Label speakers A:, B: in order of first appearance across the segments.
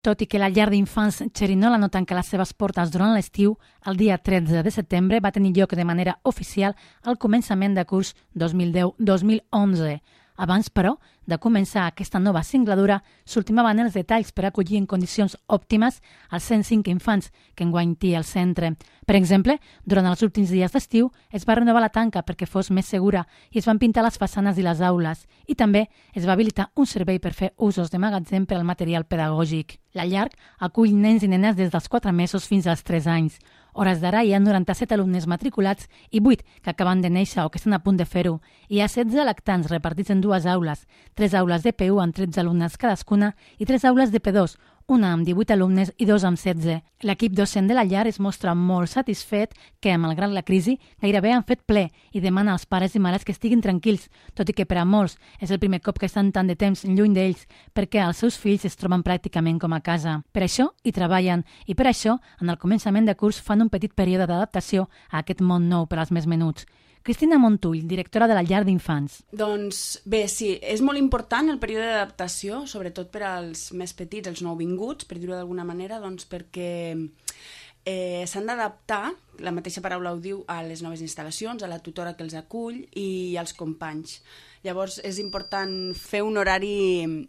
A: Tot i que la llar d'infants Xerinola no tanca les seves portes durant l'estiu, el dia 13 de setembre va tenir lloc de manera oficial el començament de curs 2010-2011. Abans, però, de començar aquesta nova singladura, s'ultimaven els detalls per acollir en condicions òptimes els 105 infants que enguany té el centre. Per exemple, durant els últims dies d'estiu es va renovar la tanca perquè fos més segura i es van pintar les façanes i les aules. I també es va habilitar un servei per fer usos de magatzem per al material pedagògic. La llar acull nens i nenes des dels 4 mesos fins als 3 anys. Hores d'ara hi ha 97 alumnes matriculats i 8 que acaben de néixer o que estan a punt de fer-ho. Hi ha 16 lactants repartits en 2 aules, 3 aules de P1 amb 13 alumnes cadascuna i 3 aules de P2, una amb 18 alumnes i 2 amb 16. L'equip docent de la llar es mostra molt satisfet que, malgrat la crisi, gairebé han fet ple i demana als pares i mares que estiguin tranquils, tot i que per a molts és el primer cop que estan tant de temps lluny d'ells perquè els seus fills es troben pràcticament com a casa. Per això hi treballen i per això, en el començament de curs, fan un petit període d'adaptació a aquest món nou per als més menuts. Cristina Montull, directora de la llar d'infants.
B: Doncs bé, sí, és molt important el període d'adaptació, sobretot per als més petits, els nouvinguts, per dir-ho d'alguna manera, doncs perquè s'han d'adaptar, la mateixa paraula ho diu, a les noves instal·lacions, a la tutora que els acull i als companys. Llavors és important fer un horari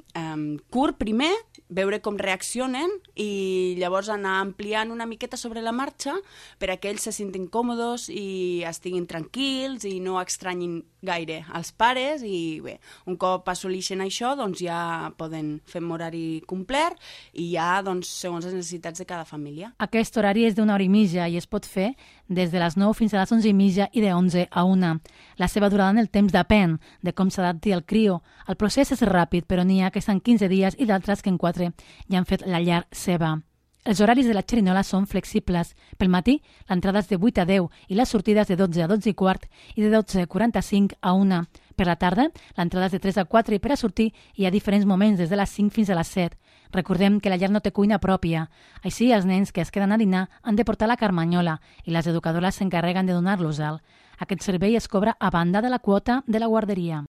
B: curt primer, veure com reaccionen i llavors anar ampliant una miqueta sobre la marxa per a que ells se sentin còmodes i estiguin tranquils i no estranyin gaire als pares i bé, un cop assoleixen això doncs ja poden fer un horari complet i ja doncs, segons les necessitats de cada família.
A: Aquest horari és d'1 hora i mitja i es pot fer des de les 9 fins a les 11 i mitja i de 11 a 1. La seva durada en el temps depèn de com s'adapti el crio. El procés és ràpid, però n'hi ha que estan 15 dies i d'altres que en 4 ja han fet la llar seva. Els horaris de la Xerinola són flexibles. Pel matí, l'entrada és de 8 a 10 i les sortides de 12 a 12 i quart i de 12:45 a 1. Per la tarda, l'entrada és de 3 a 4 i per a sortir hi ha diferents moments des de les 5 fins a les 7. Recordem que la llar no té cuina pròpia. Així, els nens que es queden a dinar han de portar la carmanyola i les educadores s'encarreguen de donar-los-el. Aquest servei es cobra a banda de la quota de la guarderia.